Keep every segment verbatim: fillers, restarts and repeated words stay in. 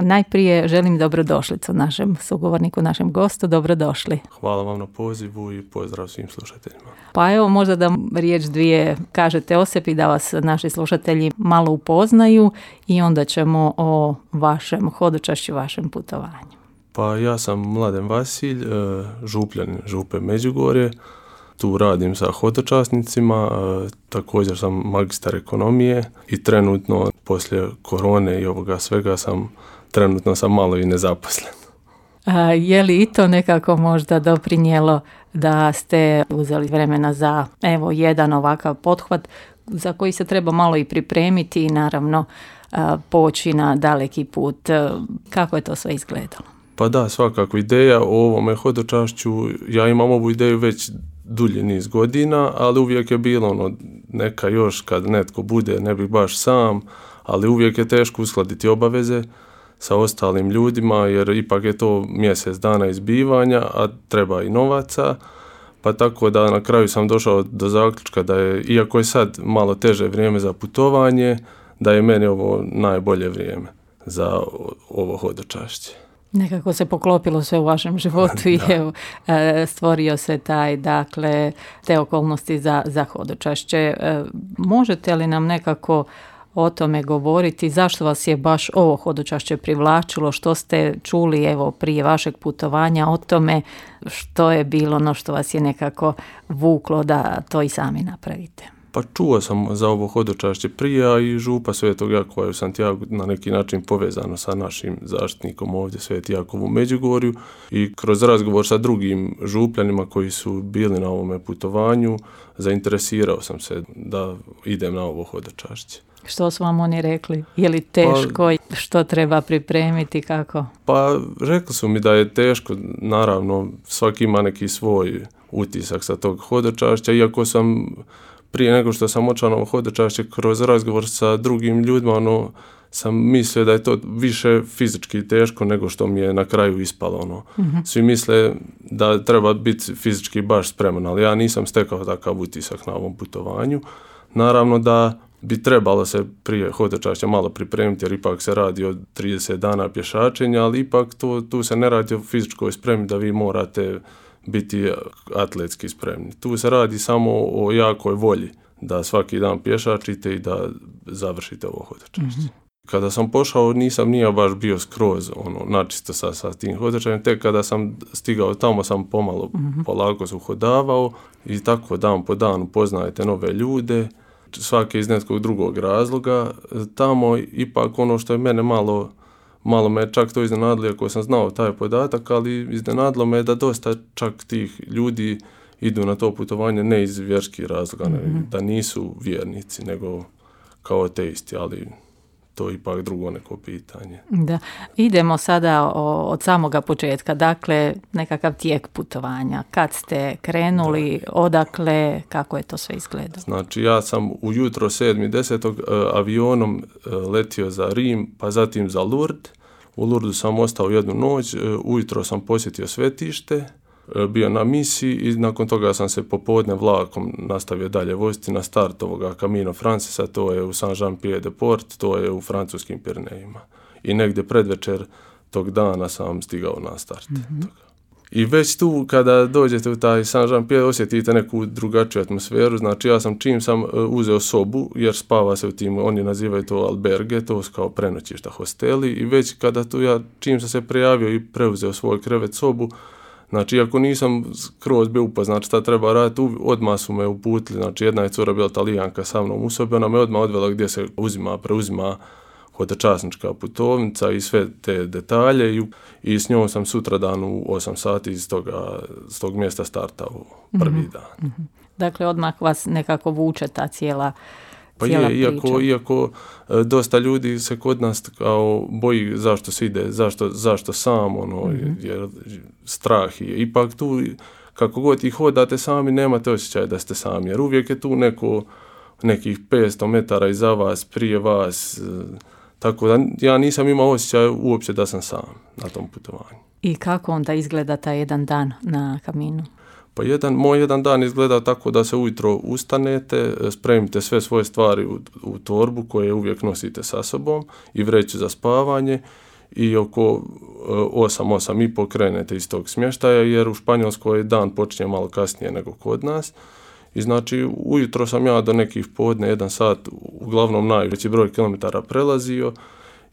Najprije želim dobrodošlicu našem sugovorniku, našem gostu. Dobrodošli. Hvala vam na pozivu i pozdrav svim slušateljima. Pa evo, možda da riječ dvije kažete o sebi, da vas naši slušatelji malo upoznaju i onda ćemo o vašem hodočašću, vašem putovanju. Pa ja sam Mladen Vasilj, župljanin Župe Međugorje. Tu radim sa hodočasnicima, također sam magistar ekonomije i trenutno poslije korone i ovoga svega sam trenutno sam malo i nezaposlen. A je li i to nekako možda doprinijelo da ste uzeli vremena za evo jedan ovakav pothvat za koji se treba malo i pripremiti i naravno poći na daleki put? Kako je to sve izgledalo? Pa da, svakako ideja o ovome hodočašću, ja imam ovu ideju već dulji niz godina, ali uvijek je bilo ono, neka još kad netko bude, ne bih baš sam, ali uvijek je teško uskladiti obaveze sa ostalim ljudima, jer ipak je to mjesec dana izbivanja, a treba i novaca, pa tako da na kraju sam došao do zaključka da je, iako je sad malo teže vrijeme za putovanje, da je meni ovo najbolje vrijeme za ovo hodočašće. Nekako se poklopilo sve u vašem životu i evo, stvorio se taj, dakle, te okolnosti za, za hodočašće. Možete li nam nekako o tome govoriti? Zašto vas je baš ovo hodočašće privlačilo? Što ste čuli evo prije vašeg putovanja o tome? Što je bilo ono što vas je nekako vuklo da to i sami napravite? Pa čuo sam za ovo hodočašće prije, a i Župa Svetog Jakova u Santiagu na neki način povezano sa našim zaštitnikom ovdje Sveti Jakov u Međugorju i kroz razgovor sa drugim župljanima koji su bili na ovome putovanju zainteresirao sam se da idem na ovo hodočašće. Što su vam oni rekli? Je li teško? Pa, što treba pripremiti? Kako? Pa rekli su mi da je teško, naravno svaki ima neki svoj utisak sa tog hodočašća, iako sam prije nego što sam otišao na ovo hodočašće kroz razgovor sa drugim ljudima, ono, sam mislio da je to više fizički teško nego što mi je na kraju ispalo. Ono. Mm-hmm. Svi misle da treba biti fizički baš spreman, ali ja nisam stekao takav utisak na ovom putovanju. Naravno da bi trebalo se prije hodočašća malo pripremiti, jer ipak se radi o trideset dana pješačenja, ali ipak to, tu se ne radi o fizičkoj spremi da vi morate biti atletski spremni. Tu se radi samo o jakoj volji da svaki dan pješačite i da završite ovo hodočašće. Mm-hmm. Kada sam pošao nisam nije baš bio skroz ono, načisto sa, sa tim hodočašćem, tek kada sam stigao tamo sam pomalo mm-hmm. polako se uhodavao i tako dan po danu poznajete nove ljude, svake iz nekog drugog razloga. Tamo ipak ono što je mene malo Malo me čak to iznenadilo, ako sam znao taj podatak, ali iznenadilo me da dosta čak tih ljudi idu na to putovanje ne iz vjerskih razloga, mm-hmm. ne, da nisu vjernici, nego kao ateisti, ali to je ipak drugo neko pitanje. Da. Idemo sada o, od samoga početka, dakle nekakav tijek putovanja. Kad ste krenuli, da. Odakle, kako je to sve izgledalo? Znači ja sam ujutro sedmog desetog Uh, avionom uh, letio za Rim, pa zatim za Lourdes. U Lourdesu sam ostao jednu noć, uh, ujutro sam posjetio svetište, uh, bio na misiji i nakon toga sam se popodne vlakom nastavio dalje voziti na start ovoga Camino Francesa, to je u Saint-Jean-Pied-de-Port, to je u francuskim Pirenejima. I negdje predvečer tog dana sam stigao na start mm-hmm. toga. I već tu kada dođete u taj Saint-Jean-Pied osjetite neku drugačiju atmosferu, znači ja sam čim sam uzeo sobu, jer spava se u tim, oni nazivaju to alberge, to su kao prenoćišta, hosteli, i već kada tu ja čim sam se prijavio i preuzeo svoj krevet sobu, znači iako nisam skroz bio upoznat šta treba raditi, odmah su me uputili, znači jedna je cura bila Talijanka sa mnom u sobi, ona me odmah odvela gdje se uzima, preuzima hodočasnička putovnica i sve te detalje i, i s njom sam sutradan u osam sati iz toga, s tog mjesta startao prvi mm-hmm. dan. Mm-hmm. Dakle, odmah vas nekako vuče ta cijela Pa je, iako, iako dosta ljudi se kod nas kao boji zašto se ide, zašto, zašto sam, ono, mm-hmm. jer strah je. Ipak tu, kako god ih hodate sami, nemate osjećaj da ste sami, jer uvijek je tu neko, nekih petsto metara iza vas, prije vas, tako da ja nisam imao osjećaj uopće da sam sam na tom putovanju. I kako onda izgleda taj jedan dan na Caminu? Pa jedan, moj jedan dan izgleda tako da se ujutro ustanete, spremite sve svoje stvari u, u torbu koje uvijek nosite sa sobom i vreću za spavanje i oko osam, osam i po krenete iz tog smještaja, jer u Španjolskoj dan počinje malo kasnije nego kod nas. I znači ujutro sam ja do nekih podne, jedan sat, uglavnom najveći broj kilometara prelazio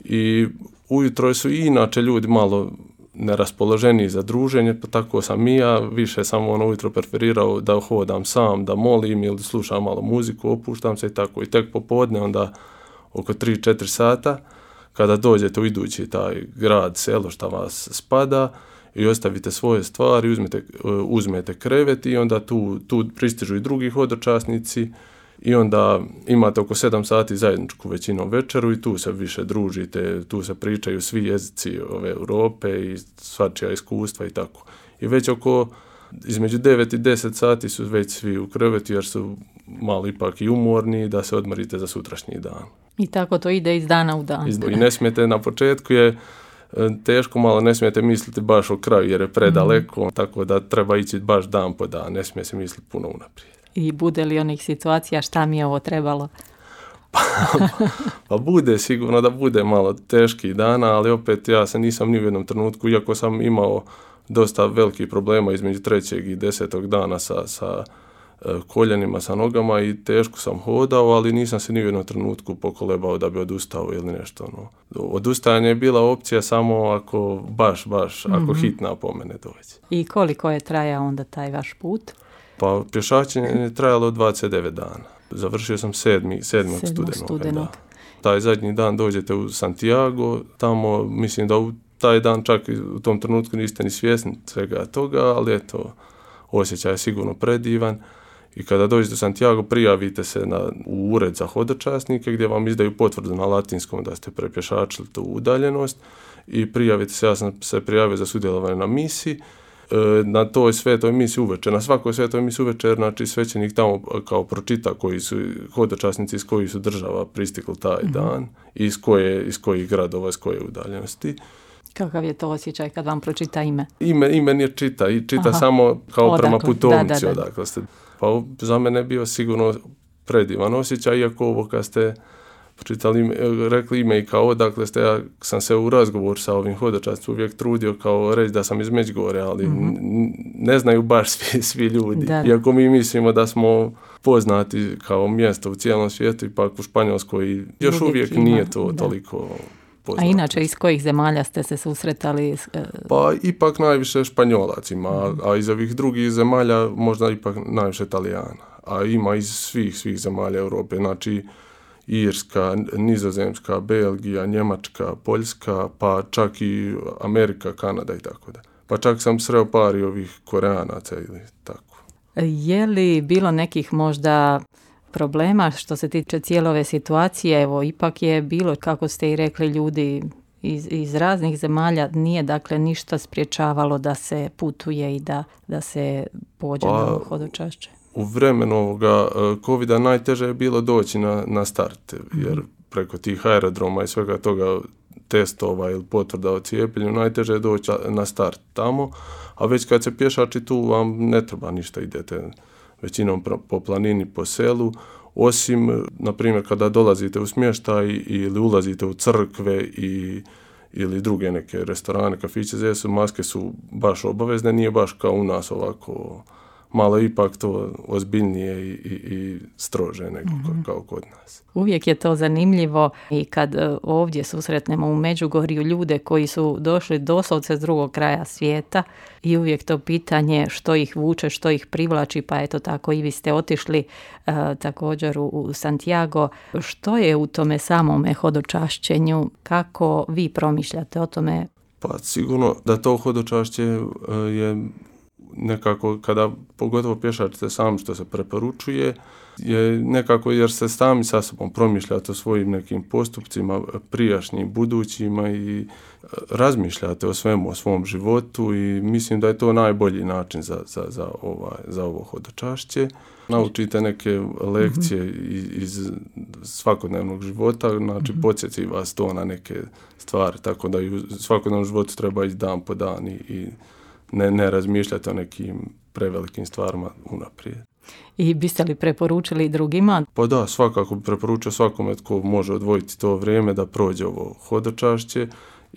i ujutro su i inače ljudi malo neraspoloženiji za druženje, pa tako sam i ja, više sam ono ujutro preferirao da hodam sam, da molim ili slušam malo muziku, opuštam se i tako. I tek popodne onda oko tri četiri sata, kada dođete u idući taj grad, selo šta vas spada i ostavite svoje stvari, uzmete, uzmete krevet i onda tu, tu pristižu i drugi hodočasnici i onda imate oko sedam sati zajedničku većinom večeru i tu se više družite, tu se pričaju svi jezici ove Europe i svačija iskustva i tako. I već oko između devet i deset sati su već svi u krevetu jer su malo ipak i umorni da se odmorite za sutrašnji dan. I tako to ide iz dana u dan. I ne smijete, na početku je teško, malo ne smijete misliti baš o kraju jer je predaleko, mm. tako da treba ići baš dan po dan, ne smije se misliti puno unaprijed. I bude li onih situacija šta mi je ovo trebalo? pa, pa bude, sigurno da bude malo teških dana, ali opet ja se nisam ni u jednom trenutku, iako sam imao dosta velikih problema između trećeg i desetog dana sa, sa koljenima, sa nogama i teško sam hodao, ali nisam se ni u jednom trenutku pokolebao da bi odustao ili nešto. No. Odustajanje je bila opcija samo ako baš, baš, mm-hmm. ako hitna po mene dođe. I koliko je trajao onda taj vaš put? Pa pješačenje je trajalo dvadeset devet dana. Završio sam sedmi, sedmog studenog. Taj zadnji dan dođete u Santiago, tamo mislim da u taj dan čak u tom trenutku niste ni svjesni svega toga, ali eto, osjećaj je sigurno predivan. I kada dođete u Santiago, prijavite se na, u ured za hodočasnike gdje vam izdaju potvrdu na latinskom da ste prepješačili tu udaljenost i prijavite se, ja sam se prijavio za sudjelovanje na misiji. Na toj svetoj misi uveče, na svakoj svetoj misi uveče, znači svećenik tamo kao pročita koji su hodočasnici iz kojih su država pristigli taj mm-hmm. dan i iz, koje, iz kojih gradova, iz koje udaljenosti. Kakav je to osjećaj kad vam pročita ime? Ime, ime nije čita i čita Aha. samo kao odakle, prema putovnici da, da, da. odakle ste. Pa za mene je bio sigurno predivan osjećaj, iako ovo kad ste pročitali, rekli ime i kao odakle ste, ja sam se u razgovoru sa ovim hodočasnicima uvijek trudio kao reći da sam iz Međugorja, ali mm-hmm. ne znaju baš svi, svi ljudi. Da. Iako mi mislimo da smo poznati kao mjesto u cijelom svijetu, ipak u Španjolskoj još uvijek, uvijek nije to da. toliko poznato. A inače, iz kojih zemalja ste se susretali? Pa ipak najviše Španjolac ima, mm. a iz ovih drugih zemalja možda ipak najviše Italijana. A ima iz svih, svih zemalja Europe, znači Irska, Nizozemska, Belgija, Njemačka, Poljska, pa čak i Amerika, Kanada i tako da. Pa čak sam sreo par i ovih Koreanaca ili tako. Je li bilo nekih možda problema što se tiče cijele ove situacije? Evo, ipak je bilo, kako ste i rekli, ljudi iz, iz raznih zemalja, nije dakle ništa spriječavalo da se putuje i da, da se pođe pa, na hodočašće. U vremenu ovoga covida najteže je bilo doći na, na start, jer preko tih aerodroma i svega toga testova ili potvrda o cijepljenju najteže je doći na start tamo, a već kad se pješači tu vam ne treba ništa, idete većinom po planini, po selu, osim, na primjer, kada dolazite u smještaj ili ulazite u crkve i, ili druge neke restorane, kafiće, gdje su maske su baš obavezne, nije baš kao u nas ovako, malo ipak to ozbiljnije i, i, i strože nego mm-hmm. kao kod nas. Uvijek je to zanimljivo i kad ovdje susretnemo u Međugorju ljude koji su došli doslovce s drugog kraja svijeta i uvijek to pitanje što ih vuče, što ih privlači, pa eto tako i vi ste otišli uh, također u, u Santiago. Što je u tome samome hodočašćenju? Kako vi promišljate o tome? Pa sigurno da to hodočašće uh, je nekako, kada pogotovo pješačite sami što se preporučuje, je nekako jer se sami sa sobom promišljate o svojim nekim postupcima, prijašnjim, budućima i razmišljate o svemu, o svom životu i mislim da je to najbolji način za, za, za, ovaj, za ovo hodočašće. Naučite neke lekcije mm-hmm. iz, iz svakodnevnog života, znači mm-hmm. podsjeti vas to na neke stvari, tako da i u svakodnevnom životu treba ići dan po dan i, i Ne, ne razmišljati o nekim prevelikim stvarima unaprijed. I biste li preporučili drugima? Pa da, svakako bi preporučio svakome tko može odvojiti to vrijeme da prođe ovo hodočašće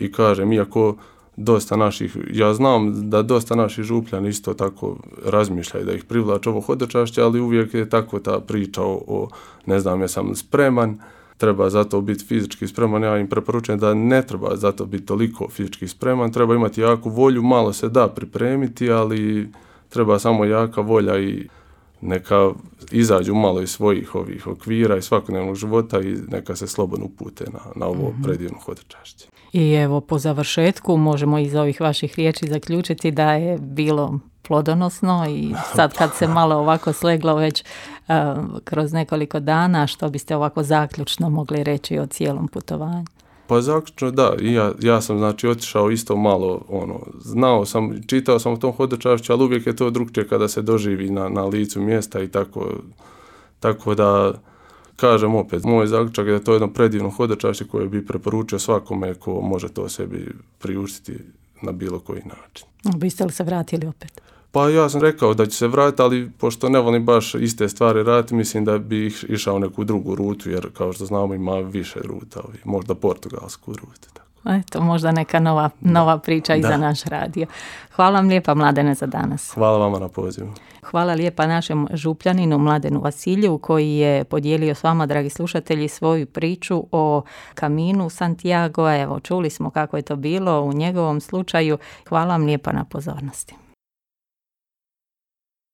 I kažem, iako dosta naših, ja znam da dosta naših Župljani isto tako razmišljaju da ih privlače ovo hodočašće, ali uvijek je tako ta priča o, o ne znam, ja sam spreman, treba zato biti fizički spreman, ja im preporučujem da ne treba zato biti toliko fizički spreman, treba imati jaku volju, malo se da pripremiti, ali treba samo jaka volja i neka izađu malo iz svojih ovih okvira i svakodnevnog života i neka se slobodno upute na, na ovo mm-hmm. predivno hodočašće. I evo, po završetku možemo iz ovih vaših riječi zaključiti da je bilo plodonosno i sad kad se malo ovako sleglo već uh, kroz nekoliko dana, što biste ovako zaključno mogli reći o cijelom putovanju? Pa zaključno da, ja, ja sam znači otišao isto malo, ono, znao sam, čitao sam o tom hodočašću, ali uvijek je to drugčije kada se doživi na, na licu mjesta i tako, tako da kažem opet, moj zaključak je da to je jedno predivno hodočašće koje bi preporučio svakome ko može to sebi priuštiti na bilo koji način. Biste li se vratili opet? Pa ja sam rekao da ću se vratiti, ali pošto ne volim baš iste stvari raditi, mislim da bi išao neku drugu rutu, jer kao što znamo ima više ruta, možda portugalsku rutu. Tako. Eto, možda neka nova, nova priča i za naš radio. Hvala vam lijepa, Mladene, za danas. Hvala vama na pozivu. Hvala lijepa našem Župljaninu Mladenu Vasiljevu koji je podijelio s vama, dragi slušatelji, svoju priču o Caminu Santiago. Evo, čuli smo kako je to bilo u njegovom slučaju. Hvala vam lijepa na pozornosti.